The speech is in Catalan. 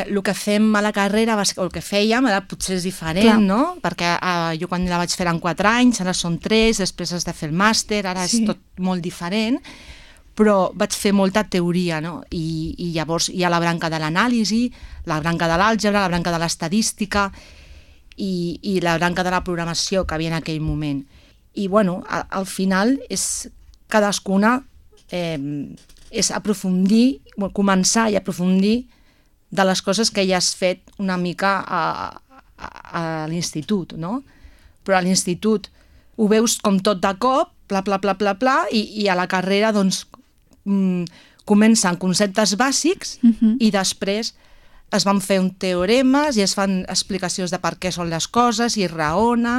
El que fem a la carrera, o el que fèiem, ara potser és diferent, no? Perquè jo quan la vaig fer en 4 anys, ara són 3, després has de fer el màster, ara és tot molt diferent, però vaig fer molta teoria, no? I llavors hi ha la branca de l'anàlisi, la branca de l'àlgebra, la branca de l'estadística i la branca de la programació que havia en aquell moment. I, bueno, al final és cadascuna és aprofundir, començar i aprofundir de les coses que ja has fet una mica a l'institut, no? Però a l'institut ho veus com tot de cop, pla, pla, pla, pla, pla, i a la carrera, doncs, comencen conceptes bàsics i després es van fer teoremes i es fan explicacions de per què són les coses i raones